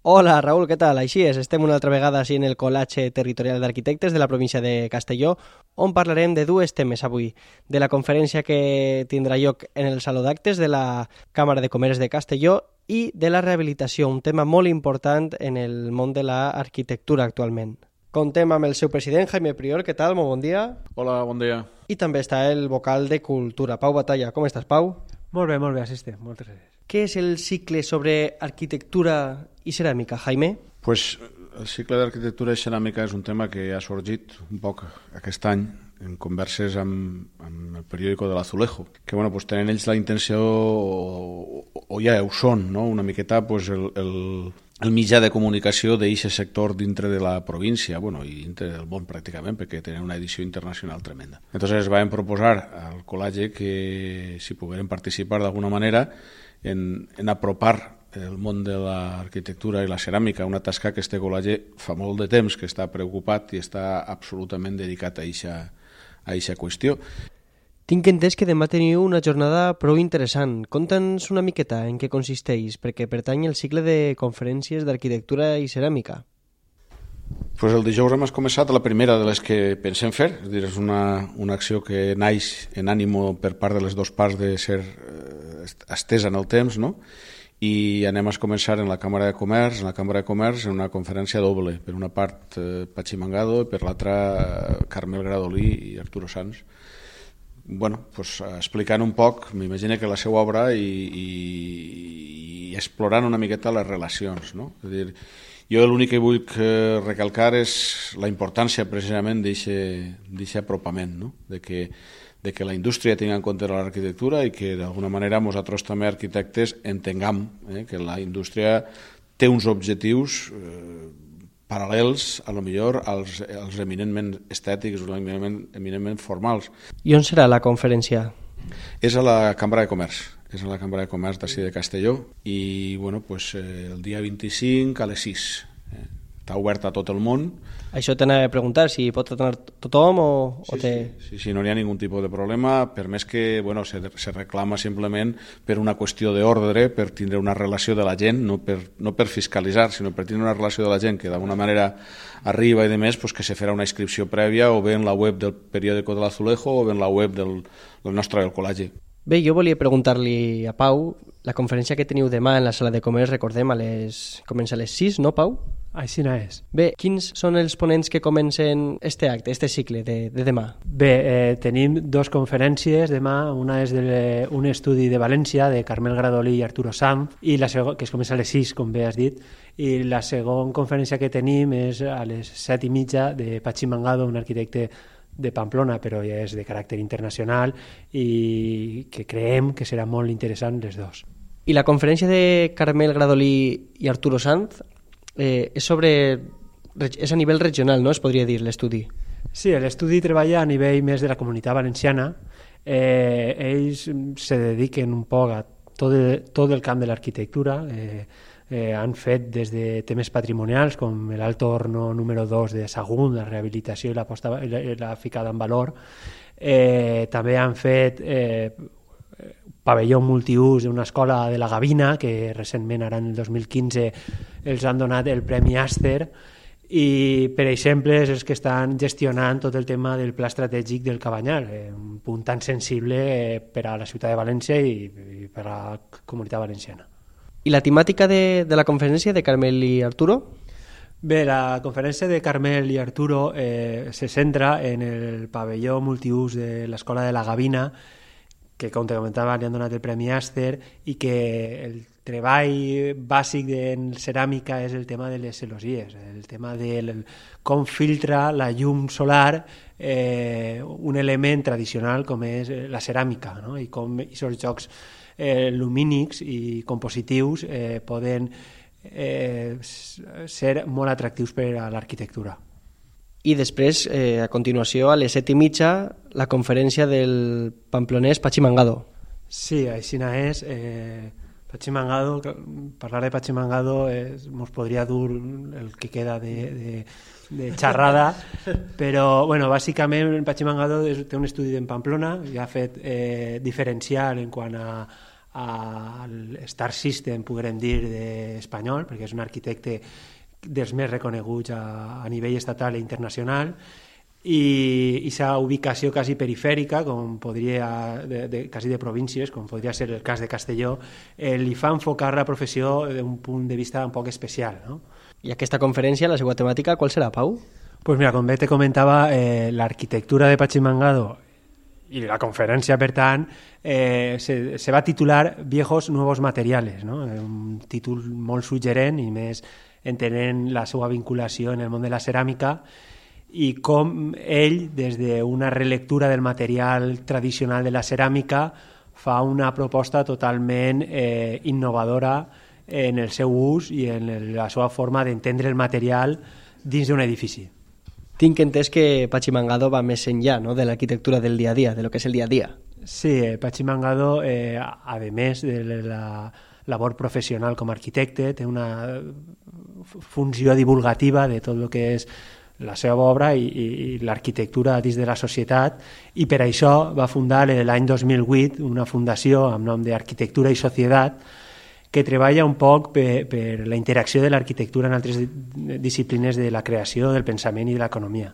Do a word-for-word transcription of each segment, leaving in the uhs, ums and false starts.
Hola, Raül, què tal? Així és, estem una altra vegada així en el Col·legi Territorial d'Arquitectes de la província de Castelló, on parlarem de dues temes avui. De la conferència que tindrà lloc en el Saló d'Actes de la Càmera de Comerç de Castelló i de la rehabilitació, un tema molt important en el món de l'arquitectura actualment. Contem amb el seu president, Jaime Prior. Què tal? Molt bon dia. Hola, bon dia. I també està el vocal de Cultura, Pau Batalla. Com estàs, Pau? Molt bé, molt bé, assistent. Moltes gràcies. Què és el cicle sobre arquitectura i ceràmica, Jaime? Pues el cicle d'arquitectura i ceràmica és un tema que ha sorgit un poc aquest any en converses amb, amb el periòdico de l'Azulejo, que bueno, pues, tenen ells la intenció, o, o ja ho són, no? Una miqueta pues, el, el, el mitjà de comunicació d'aquest sector dintre de la província, bueno, i dintre del món pràcticament, perquè tenen una edició internacional tremenda. Entonces vam proposar al col·legi que si pogueren participar d'alguna manera en, en apropar el món de l'arquitectura i la ceràmica, una tasca que este col·legi fa molt de temps que està preocupat i està absolutament dedicat a eixa a eixa qüestió. Tinc entès que demà teniu una jornada prou interessant. Conta'ns una miqueta en què consisteix, perquè pertany al cicle de conferències d'arquitectura i ceràmica. Pues el dijous hem començat la primera de les que pensem fer, és a dir, és una, una acció que naix en ànimo per part de les dues parts de ser eh, estesa en el temps, no? I anem a començar en la Càmera de Comerç, en la Càmera de Comerç, en una conferència doble, per una part eh, Patxi Mangado i per l'altra eh, Carmel Gradolí i Arturo Sanz. Bueno, pues, explicant un poc, m'imagino que la seva obra i, i, i explorant una miqueta les relacions, no? És a dir, jo l'únic que vull recalcar és la importància precisament d'aquest apropament, no? De que de que la indústria tingui en compte l'arquitectura i que d'alguna manera nosaltres també arquitectes entengam eh, que la indústria té uns objectius eh, paral·lels a lo millor als, als eminentment estètics o eminentment, eminentment formals. I on serà la conferència? És a la Càmera de Comerç, és a la Càmera de Comerç d'ací de Castelló i bueno, pues, eh, el dia vint-i-cinc a les sis. Eh, està obert a tot el món. Això t'anava a preguntar, si pot anar tothom o, sí, o té... Sí, sí, sí, no hi ha ningun tipus de problema, per més que bueno, se, se reclama simplement per una qüestió d'ordre, per tindre una relació de la gent, no per, no per fiscalitzar, sinó per tindre una relació de la gent que d'alguna manera arriba i de més, pues, que se farà una inscripció prèvia o bé en la web del periòdico de l'Azulejo o bé en la web del, del nostre del col·legi. Bé, jo volia preguntar-li a Pau, la conferència que teniu demà en la sala de comerç, recordem, a les... comença a les sis, no, Pau? Així no és. Bé, quins són els ponents que comencen este acte, este cicle de, de demà? Bé, eh, tenim dues conferències demà. Una és de, un estudi de València, de Carmel Gradolí i Arturo Sanz, i la segon, que es comença a les sis, com bé has dit, i la segona conferència que tenim és a les set i mitja de Patxi Mangado, un arquitecte de Pamplona, però ja és de caràcter internacional i que creiem que serà molt interessant les dues. I la conferència de Carmel Gradolí i Arturo Sanz eh, és sobre és a nivell regional, no? Es podria dir, l'estudi. Sí, l'estudi treballa a nivell més de la Comunitat Valenciana. Eh, ells se dediquen un poc a tot el, tot el camp de l'arquitectura. Eh, eh, han fet des de temes patrimonials com l'Alto Horno número dos de Sagunt, la rehabilitació i la, posta, i la, i la ficada en valor. Eh, també han fet eh, pavelló multiús d'una escola de la Gavina, que recentment, ara en el dos mil quinze, els han donat el Premi Aster, i per exemple és els que estan gestionant tot el tema del pla estratègic del Cabanyal, eh, un punt tan sensible eh, per a la ciutat de València i, i per a la comunitat valenciana. I la temàtica de, de la conferència de Carmel i Arturo? Bé, la conferència de Carmel i Arturo eh, se centra en el pavelló multiús de l'Escola de la Gavina, que, com te comentava, li han donat el Premi Aster, i que el treball bàsic en ceràmica és el tema de les celosies, el tema de com filtra la llum solar eh, un element tradicional com és la ceràmica, no? I com aquests jocs eh, lumínics i compositius eh, poden eh, ser molt atractius per a l'arquitectura. I després, eh, a continuació, a les set i mitja, la conferència del pamplonès Patxi Mangado. Sí, així és. Eh, Patxi Mangado, parlar de Patxi Mangado ens podria dur el que queda de, de, de xerrada, però bueno, bàsicament Patxi Mangado té un estudi en Pamplona i ha fet eh, diferencial en quant a al Star System, podrem dir, d'espanyol, perquè és un arquitecte dels més reconeguts a, a nivell estatal i internacional, i, i sa ubicació quasi perifèrica, com podria, de, de, quasi de províncies, com podria ser el cas de Castelló, eh, li fa enfocar la professió d'un punt de vista un poc especial, no? I aquesta conferència, la seva temàtica, qual serà, Pau? Pues mira, com bé te comentava, eh, l'arquitectura de Pachimangado i la conferència, per tant, eh, se, se va titular Viejos Nuevos Materiales, no? Un títol molt suggerent i més entenent la seva vinculació en el món de la ceràmica i com ell, des d'una relectura del material tradicional de la ceràmica, fa una proposta totalment eh, innovadora en el seu ús i en la seva forma d'entendre el material dins d'un edifici. Tinc entès que Pachimangado va més enllà, no?, de l'arquitectura del dia a dia, de lo que és el dia a dia. Sí, eh, Pachimangado, eh, a més de la labor professional com a arquitecte, té una funció divulgativa de tot el que és la seva obra i, i, i l'arquitectura dins de la societat, i per això va fundar l'any dos mil vuit una fundació amb nom d'Arquitectura i Societat, que treballa un poc per, per la interacció de l'arquitectura en altres disciplines de la creació, del pensament i de l'economia.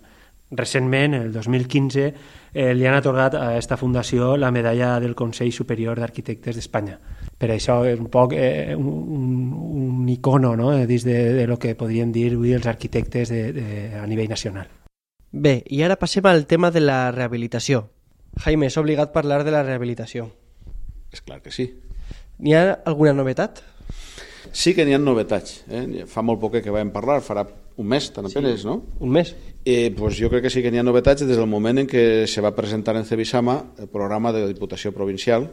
Recentment, el dos mil quinze, eh, li han atorgat a aquesta fundació la medalla del Consell Superior d'Arquitectes d'Espanya. Per això és un poc eh, un, un icono, no?, dins de, de lo que podríem dir avui els arquitectes de, de, a nivell nacional. Bé, i ara passem al tema de la rehabilitació. Jaime, és obligat parlar de la rehabilitació. És clar que sí. N'hi ha alguna novetat? Sí que n'hi ha novetats. Eh? Fa molt poc que vam parlar, farà un mes, tan apenes, sí, no? Un mes. Eh, pues jo crec que sí que n'hi ha novetats des del moment en què se va presentar en Cebisama el programa de la Diputació Provincial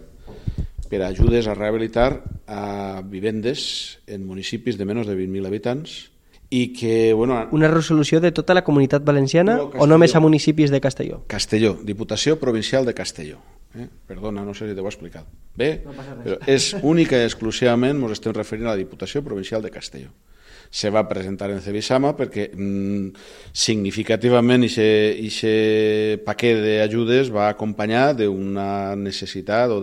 per a ajudes a rehabilitar a vivendes en municipis de menys de vint mil habitants i que, bueno... Una resolució de tota la Comunitat Valenciana no, o només a municipis de Castelló? Castelló, Diputació Provincial de Castelló. Eh? Perdona, no sé si t'ho he explicat bé, no però és única i exclusivament ens estem referint a la Diputació Provincial de Castelló. Se va presentar en Cebisama perquè mm, significativament aquest paquet d'ajudes va acompanyar d'una necessitat o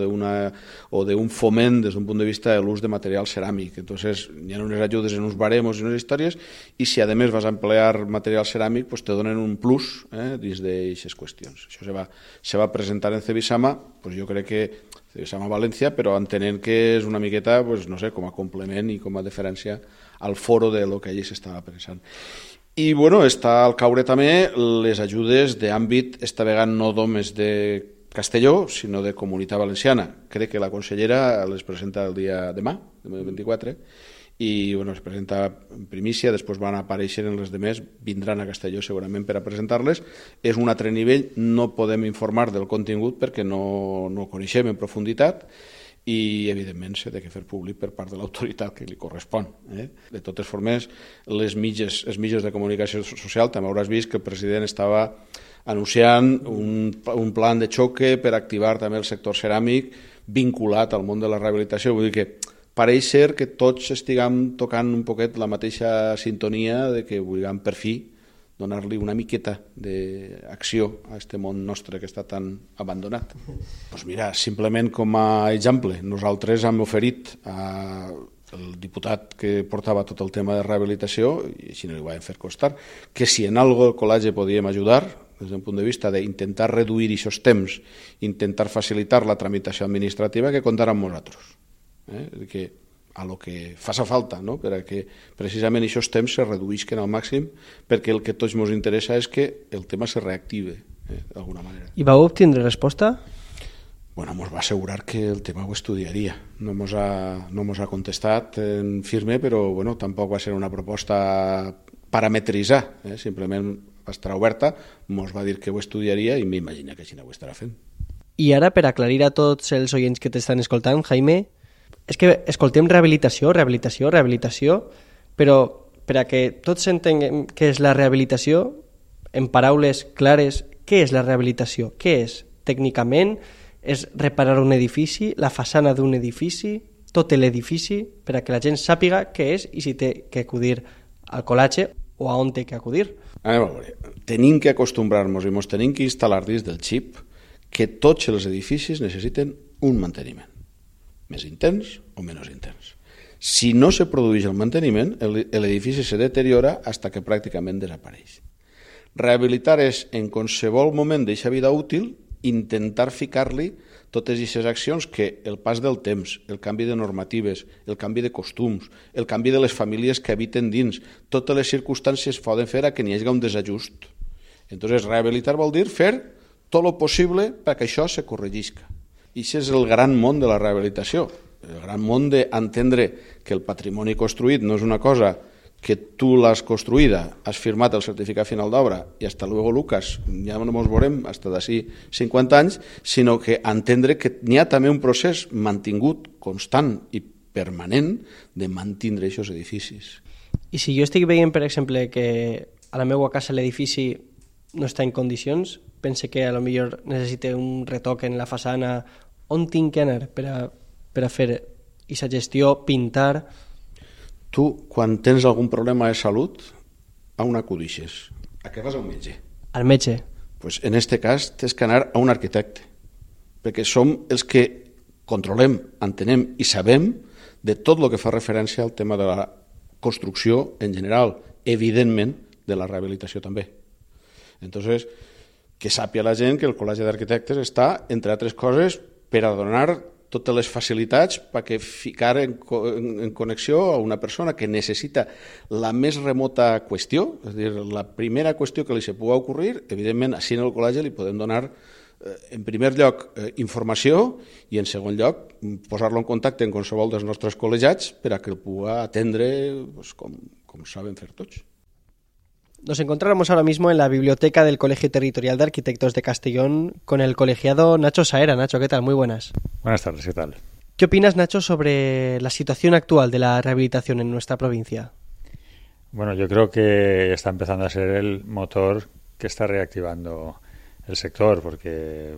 d'un foment des d'un punt de vista de l'ús de material ceràmic. Entonces, hi ha unes ajudes en uns baremos i unes històries i si a més vas a emplear material ceràmic pues te donen un plus eh, dins d'aquestes qüestions. Això se va, se va presentar en Cebisama, pues jo crec que Cebisama València, però entenent que és una miqueta, pues, no sé, com a complement i com a diferència al foro de lo que allí s'estava pensant. I bueno, està al caure també les ajudes d'àmbit, esta vegada no només de Castelló, sinó de Comunitat Valenciana. Crec que la consellera les presenta el dia demà, demà vint-i-quatre, i bueno, es presenta en primícia, després van aparèixer en les demés, vindran a Castelló segurament per a presentar-les. És un altre nivell, no podem informar del contingut perquè no, no ho coneixem en profunditat i evidentment s'ha de fer públic per part de l'autoritat que li correspon. Eh? De totes formes, les mitges, els mitjans de comunicació social, també hauràs vist que el president estava anunciant un, un plan de xoque per activar també el sector ceràmic vinculat al món de la rehabilitació. Vull dir que pareix ser que tots estiguem tocant un poquet la mateixa sintonia de que vulguem per fi donar-li una miqueta d'acció a aquest món nostre que està tan abandonat. Pues mira, simplement com a exemple, nosaltres hem oferit al diputat que portava tot el tema de rehabilitació, i així no li vam fer costar, que si en algo el col·legi podíem ajudar, des d'un punt de vista d'intentar reduir aquests temps, intentar facilitar la tramitació administrativa, que comptar amb nosaltres. Eh? Que a lo que faça falta, no? Per a que precisament aquests temps se reduïsquen al màxim, perquè el que tots ens interessa és que el tema se reactive eh? d'alguna manera. I vau obtindre resposta? Bueno, ens va assegurar que el tema ho estudiaria. No ens ha, no mos ha contestat en firme, però bueno, tampoc va ser una proposta parametritzar, eh? Simplement va estar oberta, ens va dir que ho estudiaria i m'imagina que així no ho estarà fent. I ara, per aclarir a tots els oients que t'estan escoltant, Jaime, és que escoltem rehabilitació, rehabilitació, rehabilitació, però per a que tots entenguem què és la rehabilitació, en paraules clares, què és la rehabilitació? Què és? Tècnicament, és reparar un edifici, la façana d'un edifici, tot l'edifici, per a que la gent sàpiga què és i si té que acudir al col·latge o a on té que acudir. A veure, tenim que acostumbrar-nos i ens tenim que instal·lar dins del xip que tots els edificis necessiten un manteniment. més intens o menys intens. Si no se produeix el manteniment, l'edifici se deteriora fins que pràcticament desapareix. Rehabilitar és, en qualsevol moment d'aquesta vida útil, intentar ficar-li totes aquestes accions que el pas del temps, el canvi de normatives, el canvi de costums, el canvi de les famílies que habiten dins, totes les circumstàncies poden fer a que n'hi hagi un desajust. Entonces, rehabilitar vol dir fer tot el possible perquè això se corregisca. I aquest és el gran món de la rehabilitació, el gran món d'entendre que el patrimoni construït no és una cosa que tu l'has construïda, has firmat el certificat final d'obra i hasta luego, Lucas, ja no ens veurem fins d'ací cinquanta anys, sinó que entendre que n'hi ha també un procés mantingut, constant i permanent de mantindre aquests edificis. I si jo estic veient, per exemple, que a la meva casa l'edifici no està en condicions, pense que a lo millor necessite un retoc en la façana, on tinc que anar per a, per a fer aquesta gestió, pintar? Tu, quan tens algun problema de salut, a on acudixes? A què vas a un metge? Al metge. Pues en aquest cas tens que anar a un arquitecte, perquè som els que controlem, entenem i sabem de tot el que fa referència al tema de la construcció en general, evidentment de la rehabilitació també. Entonces, que sàpia la gent que el Col·legi d'Arquitectes està, entre altres coses, per a donar totes les facilitats perquè ficar en, en, en connexió a una persona que necessita la més remota qüestió, és a dir, la primera qüestió que li se pugui ocorrir, evidentment, així en el col·legi li podem donar, eh, en primer lloc, eh, informació i, en segon lloc, posar-lo en contacte amb qualsevol dels nostres col·legiats per a que el pugui atendre pues, com, com saben fer tots. Nos encontramos ahora mismo en la biblioteca del Colegio Territorial de Arquitectos de Castellón con el colegiado Nacho Saera. Nacho, ¿qué tal? Muy buenas. Buenas tardes, ¿qué tal? ¿Qué opinas, Nacho, sobre la situación actual de la rehabilitación en nuestra provincia? Bueno, yo creo que está empezando a ser el motor que está reactivando el sector, porque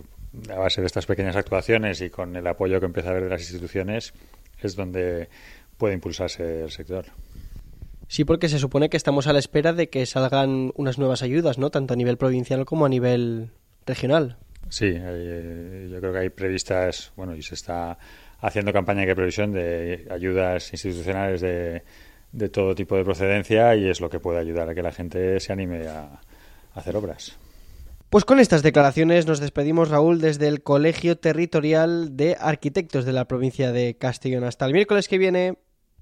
a base de estas pequeñas actuaciones y con el apoyo que empieza a haber de las instituciones es donde puede impulsarse el sector. Sí, porque se supone que estamos a la espera de que salgan unas nuevas ayudas, ¿no? Tanto a nivel provincial como a nivel regional. Sí, eh, yo creo que hay previstas, bueno, y se está haciendo campaña de previsión de ayudas institucionales de, de todo tipo de procedencia y es lo que puede ayudar a que la gente se anime a, a hacer obras. Pues con estas declaraciones nos despedimos, Raúl, desde el Colegio Territorial de Arquitectos de la provincia de Castellón. Hasta el miércoles que viene.